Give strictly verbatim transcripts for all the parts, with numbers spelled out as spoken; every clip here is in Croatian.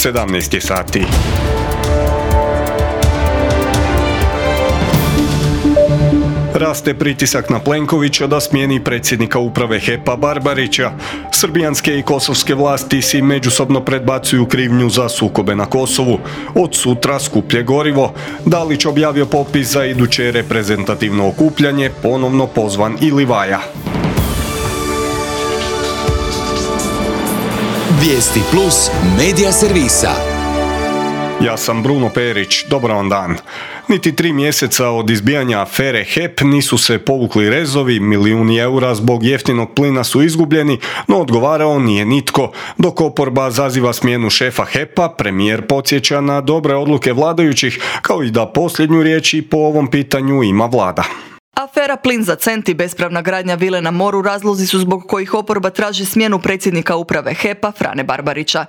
sedamnaest je sati. Raste pritisak na Plenkovića da smijeni predsjednika uprave H E P-a Barbarića. Srbijanske i kosovske vlasti si međusobno predbacuju krivnju za sukobe na Kosovu. Od sutra skuplje gorivo. Dalić objavio popis za iduće reprezentativno okupljanje, ponovno pozvan i Livaja. Vijesti plus medija servisa. Ja sam Bruno Perić, dobar vam dan. Niti tri mjeseca od izbijanja afere H E P nisu se povukli rezovi, milijuni eura zbog jeftinog plina su izgubljeni, no odgovarao nije nitko. Dok oporba zaziva smjenu šefa H E P-a, premijer podsjeća na dobre odluke vladajućih, kao i da posljednju riječ i po ovom pitanju ima vlada. Afera Plin za cent i bespravna gradnja vile na moru razlozi su zbog kojih oporba traži smjenu predsjednika uprave H E P-a Frane Barbarića.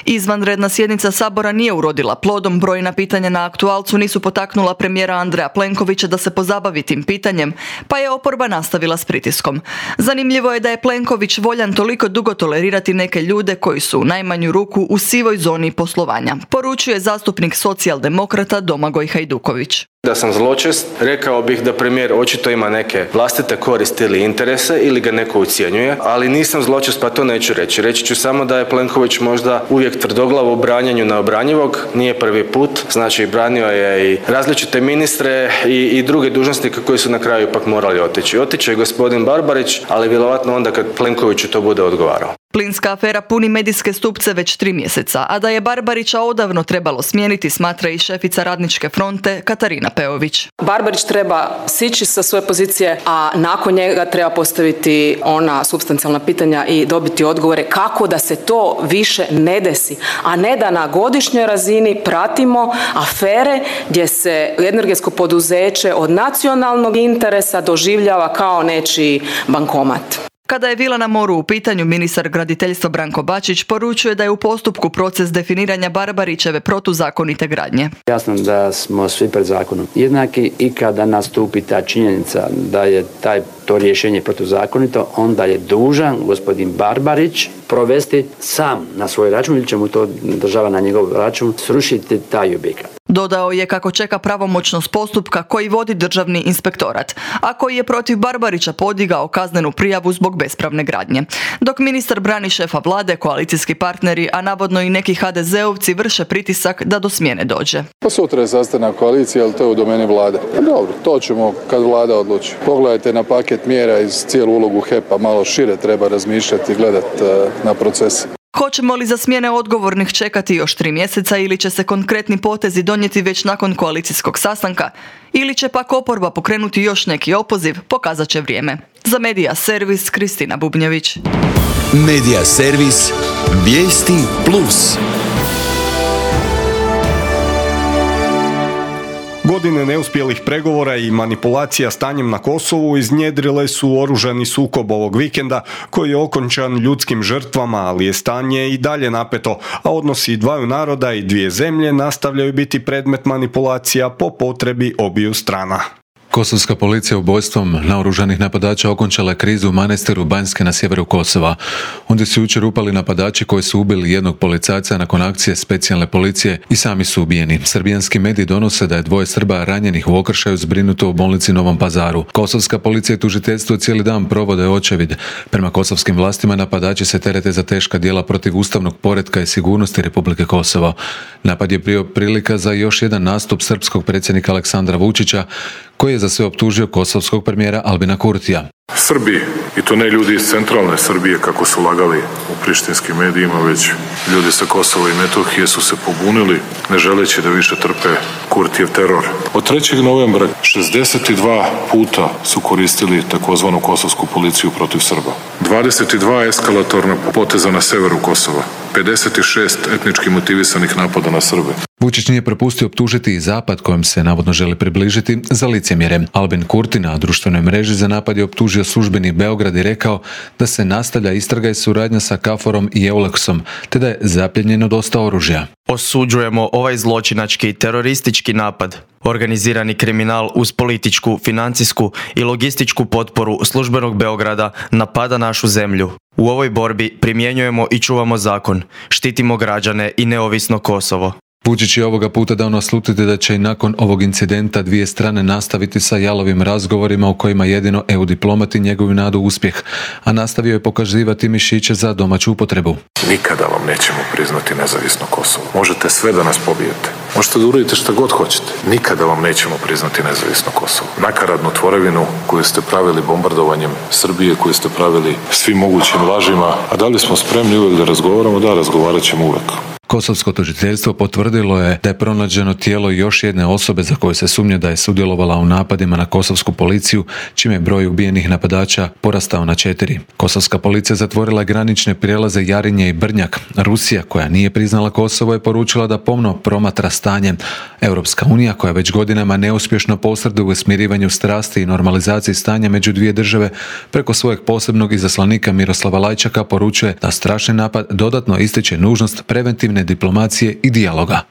Izvanredna sjednica Sabora nije urodila plodom, brojna pitanja na aktualcu nisu potaknula premijera Andreja Plenkovića da se pozabavi tim pitanjem, pa je oporba nastavila s pritiskom. Zanimljivo je da je Plenković voljan toliko dugo tolerirati neke ljude koji su u najmanju ruku u sivoj zoni poslovanja, poručuje zastupnik socijaldemokrata Domagoj Hajduković. Da sam zločest, rekao bih da premijer očito ima neke vlastite koristi ili interese ili ga neko ucjenjuje, ali nisam zločest pa to neću reći. Reći ću samo da je Plenković možda uvijek tvrdoglav u branjanju neobranjivog, nije prvi put, znači branio je i različite ministre i, i druge dužnosnike koji su na kraju ipak morali otići. Otići je gospodin Barbarić, ali vjerovatno onda kad Plenkoviću to bude odgovarao. Plinska afera puni medijske stupce već tri mjeseca, a da je Barbarića odavno trebalo smijeniti, smatra i šefica Radničke fronte Katarina Peović. Barbarić treba sići sa svoje pozicije, a nakon njega treba postaviti ona supstancijalna pitanja i dobiti odgovore kako da se to više ne desi, a ne da na godišnjoj razini pratimo afere gdje se energetsko poduzeće od nacionalnog interesa doživljava kao nečiji bankomat. Kada je vila na moru u pitanju, ministar graditeljstva Branko Bačić poručuje da je u postupku proces definiranja Barbarićeve protuzakonite gradnje. Jasno da smo svi pred zakonom jednaki i kada nastupi ta činjenica da je taj, to rješenje protuzakonito, onda je dužan gospodin Barbarić provesti sam na svoj račun ili će mu to država na njegov račun srušiti taj objekat. Dodao je kako čeka pravomoćnost postupka koji vodi Državni inspektorat, a koji je protiv Barbarića podigao kaznenu prijavu zbog bespravne gradnje. Dok ministar brani šefa vlade, koalicijski partneri, a navodno i neki ha de zeovci vrše pritisak da do smjene dođe. Pa sutra je sastanak koalicije, ali to je u domeni vlade. Dobro, to ćemo kad vlada odluči. Pogledajte na paket mjera iz cijelu ulogu H E P-a, malo šire treba razmišljati i gledati na procese. Hoćemo li za smjene odgovornih čekati još tri mjeseca ili će se konkretni potezi donijeti već nakon koalicijskog sastanka ili će pak oporba pokrenuti još neki opoziv, pokazat će vrijeme. Za Medija servis Kristina Bubnjević. Medija servis Vijesti plus. Godine neuspjelih pregovora i manipulacija stanjem na Kosovu iznjedrile su oružani sukob ovog vikenda koji je okončan ljudskim žrtvama, ali je stanje i dalje napeto, a odnosi dvaju naroda i dvije zemlje nastavljaju biti predmet manipulacija po potrebi obiju strana. Kosovska policija ubojstvom naoružanih napadača okončala je krizu u Manastiru Banjske na sjeveru Kosova. Ondje su jučer upali napadači koji su ubili jednog policajca nakon akcije specijalne policije i sami su ubijeni. Srbijanski mediji donose da je dvoje Srba ranjenih u okršaju zbrinuto u bolnici Novom Pazaru. Kosovska policija i tužiteljstvo cijeli dan provode očevid. Prema kosovskim vlastima napadači se terete za teška djela protiv ustavnog poretka i sigurnosti Republike Kosovo. Napad je bio prilika za još jedan nastup srpskog predsjednika Aleksandra Vučića, koji je za sve optužio kosovskog premijera Albina Kurtija. Srbi, i to ne ljudi iz centralne Srbije kako su lagali u prištinskim medijima, već ljudi sa Kosova i Metohije su se pobunili, ne želeći da više trpe Kurtijev teror. Od trećeg novembra šezdeset dva puta su koristili takozvanu kosovsku policiju protiv Srba. dvadeset dva eskalatorna poteza na severu Kosova, pedeset šest etnički motivisanih napada na Srbe. Vučić nije propustio optužiti i Zapad kojem se navodno želi približiti za licemjerje. Albin Kurti na društvenoj mreži za napad je optužio službeni Beograd i rekao da se nastavlja istraga i suradnja sa Kaforom i Euleksom, te da je zapljenjeno dosta oružja. Osuđujemo ovaj zločinački teroristički napad. Organizirani kriminal uz političku, financijsku i logističku potporu službenog Beograda napada našu zemlju. U ovoj borbi primjenjujemo i čuvamo zakon, štitimo građane i neovisno Kosovo. Vučić je ovoga puta dao naslutiti da će i nakon ovog incidenta dvije strane nastaviti sa jalovim razgovorima u kojima jedino E U diplomati njegovu nadu uspjeh, a nastavio je pokazivati mišiće za domaću upotrebu. Nikada vam nećemo priznati nezavisno Kosovo. Možete sve da nas pobijete. Možete da uradite šta god hoćete. Nikada vam nećemo priznati nezavisno Kosovo. Nakaradnu tvorevinu koju ste pravili bombardovanjem Srbije, koju ste pravili svim mogućim lažima, a da li smo spremni uvijek da razgovaramo? Da, razgovarat ćemo uvijek. Kosovsko tužiteljstvo potvrdilo je da je pronađeno tijelo još jedne osobe za koju se sumnja da je sudjelovala u napadima na kosovsku policiju, čime je broj ubijenih napadača porastao na četiri. Kosovska policija zatvorila je granične prijelaze Jarinje i Brnjak. Rusija, koja nije priznala Kosovo, je poručila da pomno promatra stanje. Europska unija, koja već godinama neuspješno posreduje u smirivanju strasti i normalizaciji stanja među dvije države, preko svojeg posebnog izaslanika Miroslava Lajčaka poručuje da strašni napad dodatno ističe nužnost preventivne diplomacije i dijaloga.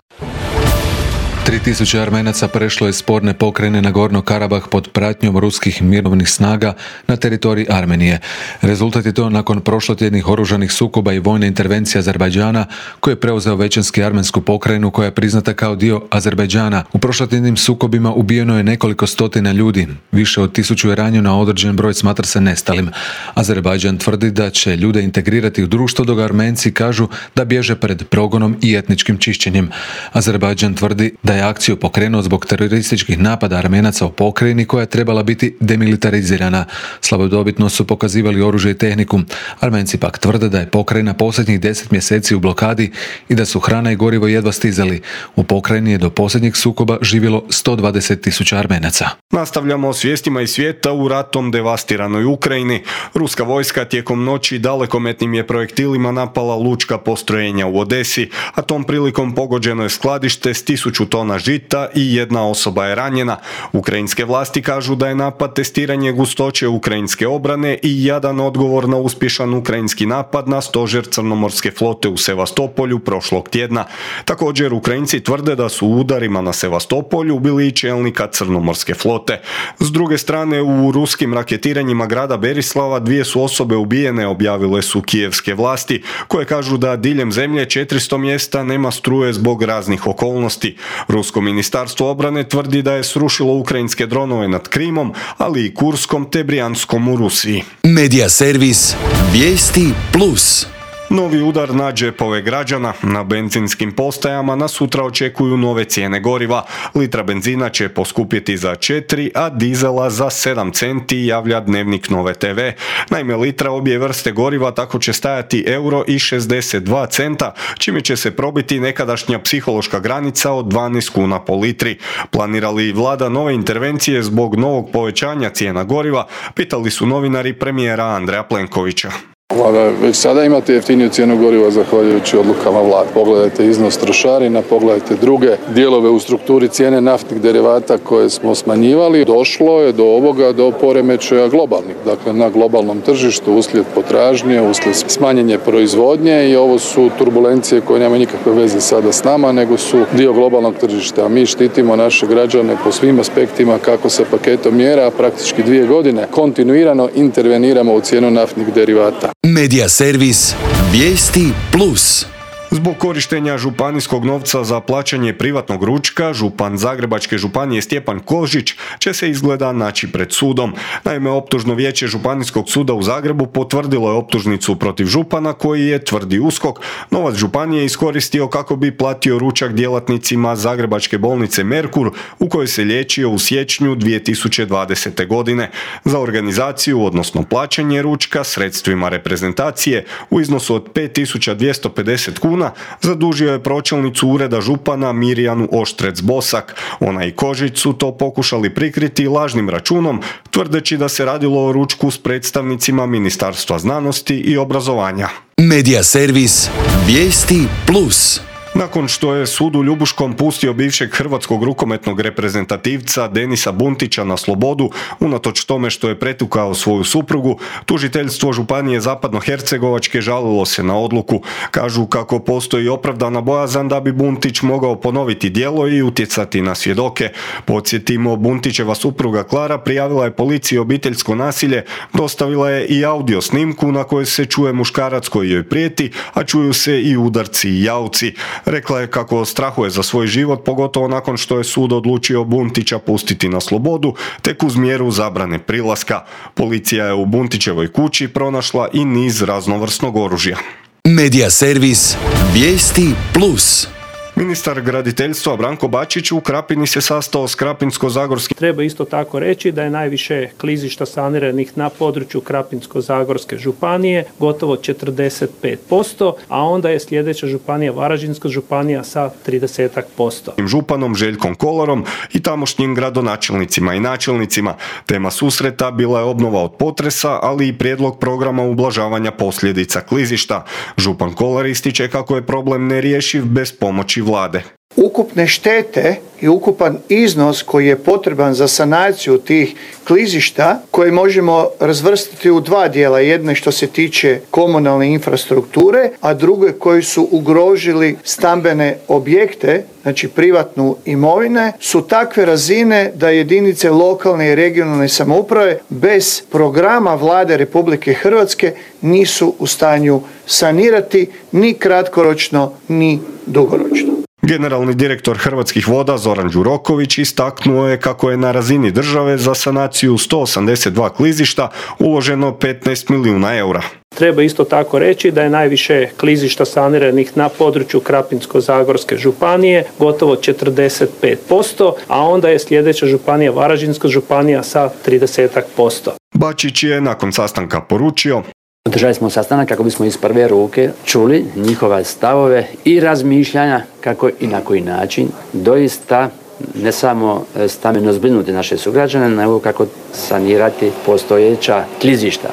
tri tisuće Armenaca prešlo je sporne pokrajine Nagorno Karabah pod pratnjom ruskih mirovnih snaga na teritoriji Armenije. Rezultat je to nakon prošlotjednih oružanih sukoba i vojne intervencije Azerbajdžana, koji je preuzeo većinski armensku pokrajinu koja je priznata kao dio Azerbajdžana. U prošlotjednim sukobima ubijeno je nekoliko stotina ljudi. Više od tisuću je ranjeno, a određen broj smatra se nestalim. Azerbajdžan tvrdi da će ljude integrirati u društvo, dok Armenci kažu da bježe pred progonom i etničkim čišćenjem. Azerbajdžan tvrdi da je akciju pokrenuo zbog terorističkih napada Armenaca u pokrajini koja je trebala biti demilitarizirana. Slavodobitno su pokazivali oružje i tehniku. Armenci pak tvrde da je pokrajina posljednjih deset mjeseci u blokadi i da su hrana i gorivo jedva stizali. U pokrajini je do posljednjeg sukoba živjelo sto dvadeset tisuća Armenaca. Nastavljamo s vijestima iz svijeta. U ratom devastiranoj Ukrajini ruska vojska tijekom noći dalekometnim je projektilima napala lučka postrojenja u Odesi, a tom prilikom pogođeno je skladište s tisuću tona žita i jedna osoba je ranjena. Ukrajinske vlasti kažu da je napad testiranje gustoće ukrajinske obrane i jadan odgovor na uspješan ukrajinski napad na stožer Crnomorske flote u Sevastopolju prošlog tjedna. Također Ukrajinci tvrde da su u udarima na Sevastopolju ubili i čelnika Crnomorske flote. S druge strane, u ruskim raketiranjima grada Berislava dvije su osobe ubijene, objavile su kijevske vlasti, koje kažu da diljem zemlje četiristo mjesta nema struje zbog raznih okolnosti. Rusko ministarstvo obrane tvrdi da je srušilo ukrajinske dronove nad Krimom, ali i Kurskom te Brijanskom u Rusiji. Medija servis Vijesti plus. Novi udar na džepove građana. Na benzinskim postajama nas sutra očekuju nove cijene goriva. Litra benzina će poskupjeti za četiri, a dizela za sedam centi, javlja Dnevnik Nove te ve. Naime, litra obje vrste goriva tako će stajati euro i šezdeset dva centa, čime će se probiti nekadašnja psihološka granica od dvanaest kuna po litri. Planira li vlada nove intervencije zbog novog povećanja cijena goriva, pitali su novinari premijera Andreja Plenkovića. Vlada već sada imate jeftiniju cijenu goriva zahvaljujući odlukama vlade. Pogledajte iznos trošarina, pogledajte druge dijelove u strukturi cijene naftnih derivata koje smo smanjivali. Došlo je do ovoga, do poremećaja globalnih. Dakle, na globalnom tržištu uslijed potražnje, uslijed smanjenje proizvodnje i ovo su turbulencije koje nemaju nikakve veze sada s nama, nego su dio globalnog tržišta. A mi štitimo naše građane po svim aspektima kako sa paketom mjera, praktički dvije godine kontinuirano interveniramo u cijenu naftnih derivata. Medija servis Vijesti plus. Zbog korištenja županijskog novca za plaćanje privatnog ručka, župan Zagrebačke županije Stjepan Kožić će se izgleda naći pred sudom. Naime, optužno vijeće Županijskog suda u Zagrebu potvrdilo je optužnicu protiv župana koji je, tvrdi USKOK, novac županije iskoristio kako bi platio ručak djelatnicima Zagrebačke bolnice Merkur u kojoj se liječio u siječnju dvije tisuće dvadesete. godine. Za organizaciju, odnosno plaćanje ručka sredstvima reprezentacije u iznosu od pet tisuća dvjesto pedeset kuna zadužio je pročelnicu ureda župana Mirjanu Oštrec-Bosak. Ona i Kožić su to pokušali prikriti lažnim računom, tvrdeći da se radilo o ručku s predstavnicima Ministarstva znanosti i obrazovanja. Medija servis Vijesti plus. Nakon što je sud u Ljubuškom pustio bivšeg hrvatskog rukometnog reprezentativca Denisa Buntića na slobodu, unatoč tome što je pretukao svoju suprugu, tužiteljstvo Županije Zapadnohercegovačke žalilo se na odluku. Kažu kako postoji opravdana bojazan da bi Buntić mogao ponoviti djelo i utjecati na svjedoke. Podsjetimo, Buntićeva supruga Klara prijavila je policiji obiteljsko nasilje, dostavila je i audio snimku na kojoj se čuje muškarac koji joj prijeti, a čuju se i udarci i jauci. Rekla je kako strahuje za svoj život, pogotovo nakon što je sud odlučio Buntića pustiti na slobodu, tek uz mjeru zabrane prilaska. Policija je u Buntićevoj kući pronašla i niz raznovrsnog oružja. Medija servis Vijesti plus. Ministar graditeljstva Branko Bačić u Krapini se sastao s Krapinsko-zagorskim. Treba isto tako reći da je najviše klizišta saniranih na području Krapinsko-zagorske županije, gotovo četrdeset pet posto, a onda je sljedeća županija Varaždinska županija sa trideset posto. Županom Željkom Kolarom i tamošnjim gradonačelnicima i načelnicima. Tema susreta bila je obnova od potresa, ali i prijedlog programa ublažavanja posljedica klizišta. Župan Kolar ističe kako je problem nerješiv bez pomoći vlade. Ukupne štete i ukupan iznos koji je potreban za sanaciju tih klizišta, koje možemo razvrstati u dva dijela. Jedno što se tiče komunalne infrastrukture, a drugo koji su ugrožili stambene objekte, znači privatnu imovine, su takve razine da jedinice lokalne i regionalne samouprave bez programa vlade Republike Hrvatske nisu u stanju sanirati ni kratkoročno ni dugoročno. Generalni direktor Hrvatskih voda Zoran Đuroković istaknuo je kako je na razini države za sanaciju sto osamdeset dva klizišta uloženo petnaest milijuna eura. Treba isto tako reći da je najviše klizišta saniranih na području Krapinsko-zagorske županije, gotovo četrdeset pet posto, a onda je sljedeća županija Varaždinska županija sa trideset posto. Bačić je nakon sastanka poručio: Održali smo sastanak kako bismo iz prve ruke čuli njihove stavove i razmišljanja kako i na koji način doista ne samo stambeno zbrinuti naše sugrađane, nego kako sanirati postojeća klizišta.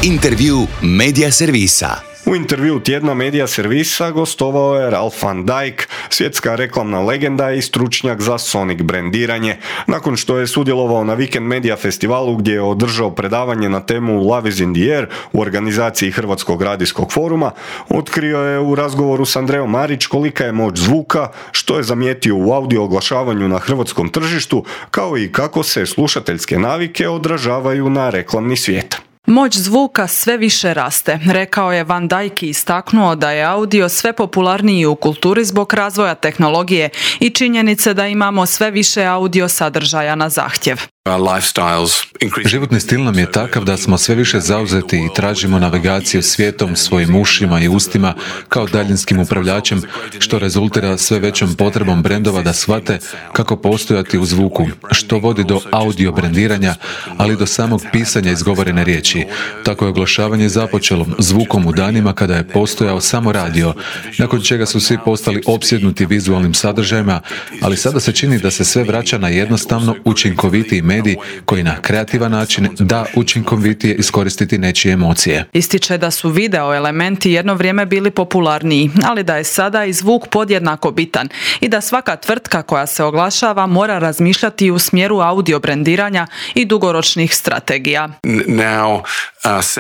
Intervju Medija servisa. U intervju tjedna Medija servisa gostovao je Ralph van Dijk, svjetska reklamna legenda i stručnjak za Sonic brendiranje. Nakon što je sudjelovao na Weekend Media festivalu gdje je održao predavanje na temu Love is in the air u organizaciji Hrvatskog radijskog foruma, otkrio je u razgovoru s Andrejom Marić kolika je moć zvuka, što je zamijetio u audio oglašavanju na hrvatskom tržištu, kao i kako se slušateljske navike odražavaju na reklamni svijet. Moć zvuka sve više raste, rekao je Van Dijk i istaknuo da je audio sve popularniji u kulturi zbog razvoja tehnologije i činjenice da imamo sve više audio sadržaja na zahtjev. Životni stil nam je takav da smo sve više zauzeti i tražimo navigaciju svijetom svojim ušima i ustima kao daljinskim upravljačem, što rezultira sve većom potrebom brendova da shvate kako postojati u zvuku, što vodi do audio brendiranja, ali do samog pisanja izgovorene riječi. Tako je oglašavanje započelo zvukom u danima kada je postojao samo radio, nakon čega su svi postali opsjednuti vizualnim sadržajima, ali sada se čini da se sve vraća na jednostavno učinkovitiji medij koji na kreativan način da učinkovitije iskoristiti nečije emocije. Ističe da su video elementi jedno vrijeme bili popularniji, ali da je sada i zvuk podjednako bitan i da svaka tvrtka koja se oglašava mora razmišljati u smjeru audio brendiranja i dugoročnih strategija.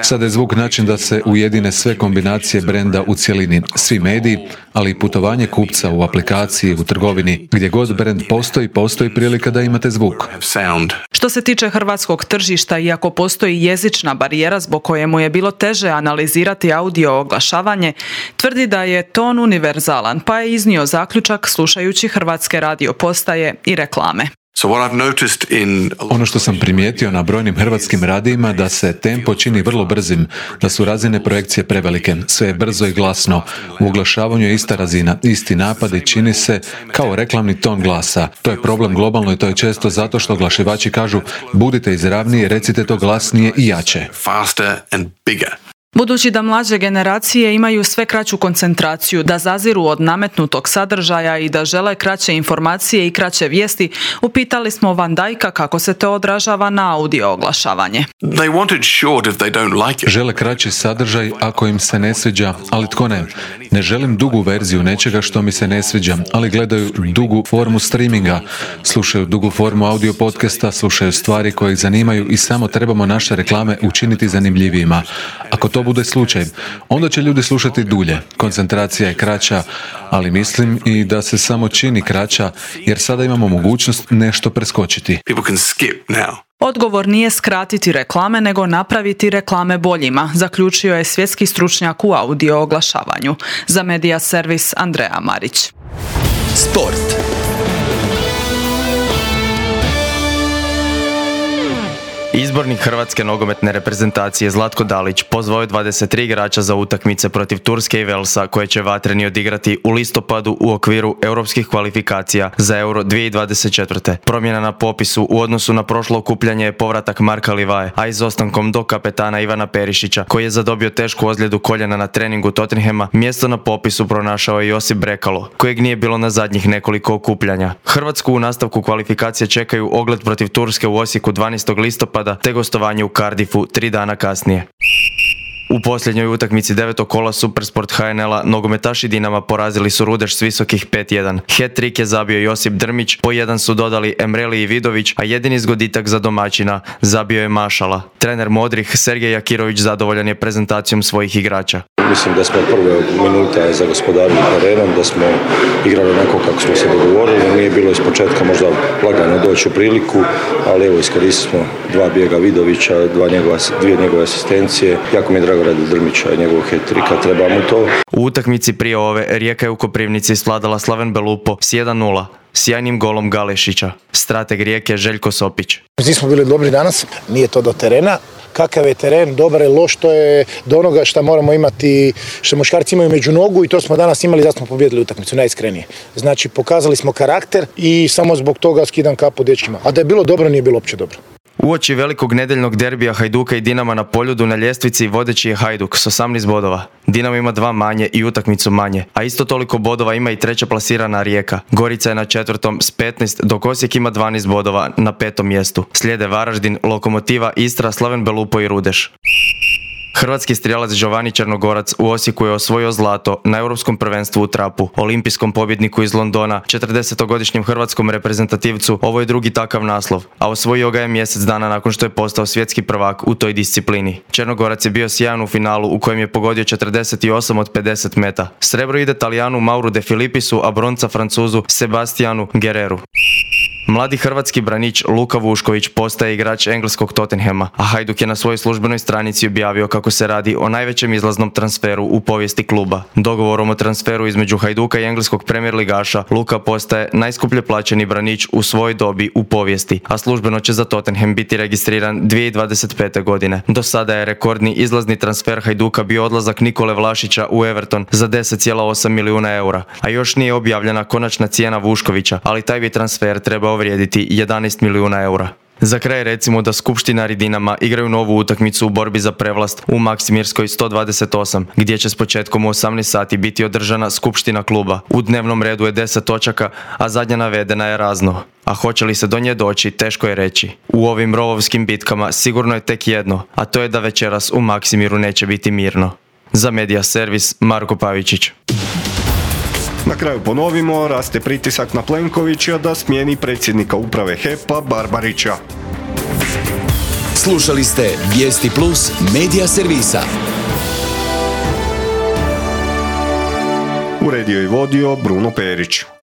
Sada je zvuk način da se ujedine sve kombinacije brenda u cjelini, svi mediji, ali i putovanje kupca u aplikaciji, u trgovini, gdje god brend postoji, postoji prilika da imate zvuk. Što se tiče hrvatskog tržišta, iako postoji jezična barijera zbog koje mu je bilo teže analizirati audio oglašavanje, tvrdi da je ton univerzalan, pa je iznio zaključak slušajući hrvatske radio postaje i reklame. Ono što sam primijetio na brojnim hrvatskim radijima da se tempo čini vrlo brzim, da su razine projekcije prevelike, sve je brzo i glasno. U oglašavanju je ista razina, isti napad i čini se kao reklamni ton glasa. To je problem globalno i to je često zato što oglašivači kažu budite izravniji, recite to glasnije i jače. Budući da mlađe generacije imaju sve kraću koncentraciju, da zaziru od nametnutog sadržaja i da žele kraće informacije i kraće vijesti, upitali smo Van Dijka kako se to odražava na audio oglašavanje. Žele kraći sadržaj ako im se ne sviđa, ali tko ne? Ne želim dugu verziju nečega što mi se ne sviđa, ali gledaju dugu formu streaminga, slušaju dugu formu audio podcasta, slušaju stvari koje ih zanimaju i samo trebamo naše reklame učiniti zanimljivijima. Ako to bude slučaj, onda će ljudi slušati dulje. Koncentracija je kraća, ali mislim i da se samo čini kraća, jer sada imamo mogućnost nešto preskočiti. Odgovor nije skratiti reklame, nego napraviti reklame boljima, zaključio je svjetski stručnjak u audio oglašavanju. Za Media Servis Andreja Marić. Sport. Izbornik hrvatske nogometne reprezentacije Zlatko Dalić pozvao je dvadeset tri igrača za utakmice protiv Turske i Velsa koje će vatreni odigrati u listopadu u okviru europskih kvalifikacija za Euro dvije tisuće dvadeset četvrte. Promjena na popisu u odnosu na prošlo okupljanje je povratak Marka Livaje, a izostankom do kapetana Ivana Perišića koji je zadobio tešku ozljedu koljena na treningu Tottenhama, mjesto na popisu pronašao je Josip Brekalo, kojeg nije bilo na zadnjih nekoliko okupljanja. Hrvatsku u nastavku kvalifikacije čekaju ogled protiv Turske u Osijeku dvanaestog listopada te gostovanje u Cardiffu tri dana kasnije. U posljednjoj utakmici devetog kola Supersport H N L-a nogometaši Dinama porazili su Rudeš s visokih pet jedan. Hat-trick je zabio Josip Drmić, po jedan su dodali Emreli i Vidović, a jedini zgoditak za domaćina zabio je Mašala. Trener Modrih Sergej Jakirović zadovoljan je prezentacijom svojih igrača. Mislim da smo prve minuta zagospodarili terenom, da smo igrali onako kako smo se dogovorili. Nije bilo iz početka možda lagano doći u priliku, ali evo iskoristili smo dva bijega Vidovića, dva njegova, dvije njegove asistencije. Jako mi je drago radi Drmića i njegovog hat-tricka, treba mu to. U utakmici prije ove Rijeka je u Koprivnici svladala Slaven Belupo s jedan nula. Sjajnim golom Galešića. Strateg Rijeke Željko Sopić. Nismo bili dobri danas, nije to do terena. Kakav je teren, dobar je, loš, to je do onoga što moramo imati, što muškarci imaju među nogu i to smo danas imali, da smo pobijedili utakmicu, najiskrenije. Znači, pokazali smo karakter i samo zbog toga skidam kapu dečkima. A da je bilo dobro, nije bilo uopće dobro. Uoči velikog nedjeljnog derbija Hajduka i Dinama na Poljudu na ljestvici vodeći je Hajduk s osamnaest bodova. Dinamo ima dva manje i utakmicu manje, a isto toliko bodova ima i treća plasirana Rijeka. Gorica je na četvrtom s petnaest, dok Osijek ima dvanaest bodova na petom mjestu. Slijede Varaždin, Lokomotiva, Istra, Slaven Belupo i Rudeš. Hrvatski strijelac Giovanni Črnogorac u Osijeku je osvojio zlato na europskom prvenstvu u trapu. Olimpijskom pobjedniku iz Londona, četrdesetogodišnjem hrvatskom reprezentativcu, ovo je drugi takav naslov, a osvojio ga je mjesec dana nakon što je postao svjetski prvak u toj disciplini. Črnogorac je bio sjajan u finalu u kojem je pogodio četrdeset osam od pedeset meta. Srebro ide Talijanu Mauru de Filipisu, a bronca Francuzu Sebastianu Guerreru. Mladi hrvatski branič Luka Vušković postaje igrač engleskog Tottenhama, a Hajduk je na svojoj službenoj stranici objavio kako se radi o najvećem izlaznom transferu u povijesti kluba. Dogovorom o transferu između Hajduka i engleskog premier ligaša, Luka postaje najskuplje plaćeni branič u svojoj dobi u povijesti, a službeno će za Tottenham biti registriran dvije tisuće dvadeset pete. godine. Do sada je rekordni izlazni transfer Hajduka bio odlazak Nikole Vlašića u Everton za deset zarez osam milijuna eura, a još nije objavljena konačna cijena Vuškovića, ali taj bi transfer trebao vrijediti jedanaest milijuna eura. Za kraj recimo da skupštinari Dinama igraju novu utakmicu u borbi za prevlast u Maksimirskoj sto dvadeset osam, gdje će s početkom u osamnaest sati biti održana skupština kluba. U dnevnom redu je deset točaka, a zadnja navedena je razno. A hoće li se do nje doći, teško je reći. U ovim rovovskim bitkama sigurno je tek jedno, a to je da večeras u Maksimiru neće biti mirno. Za Media Servis, Marko Pavičić. Na kraju ponovimo, raste pritisak na Plenkovića da smijeni predsjednika uprave H E P-a Barbarića. Slušali ste Vijesti Plus Media Servisa. Uredio i vodio Bruno Perić.